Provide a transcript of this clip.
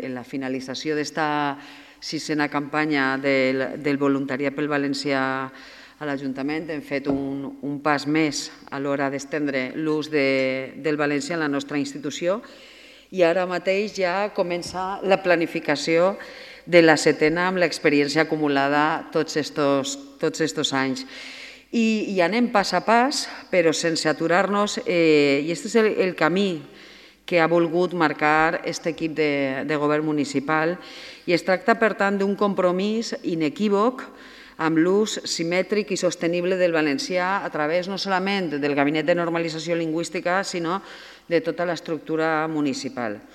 En la finalització d'esta sisena campanya del voluntariat pel valencià a l'Ajuntament hem fet un pas més a l'hora d'estendre l'ús del valencià en la nostra institució i ara mateix ja comença la planificació de la setena amb l'experiència acumulada tots estos anys. I anem pas a pas, però sense aturar-nos, i aquest és el camí que ha volgut marcar aquest equip de govern municipal i es tracta, per tant, d'un compromís inequívoc amb l'ús simètric i sostenible del valencià a través no solament del Gabinet de Normalització Lingüística, sinó de tota l'estructura municipal.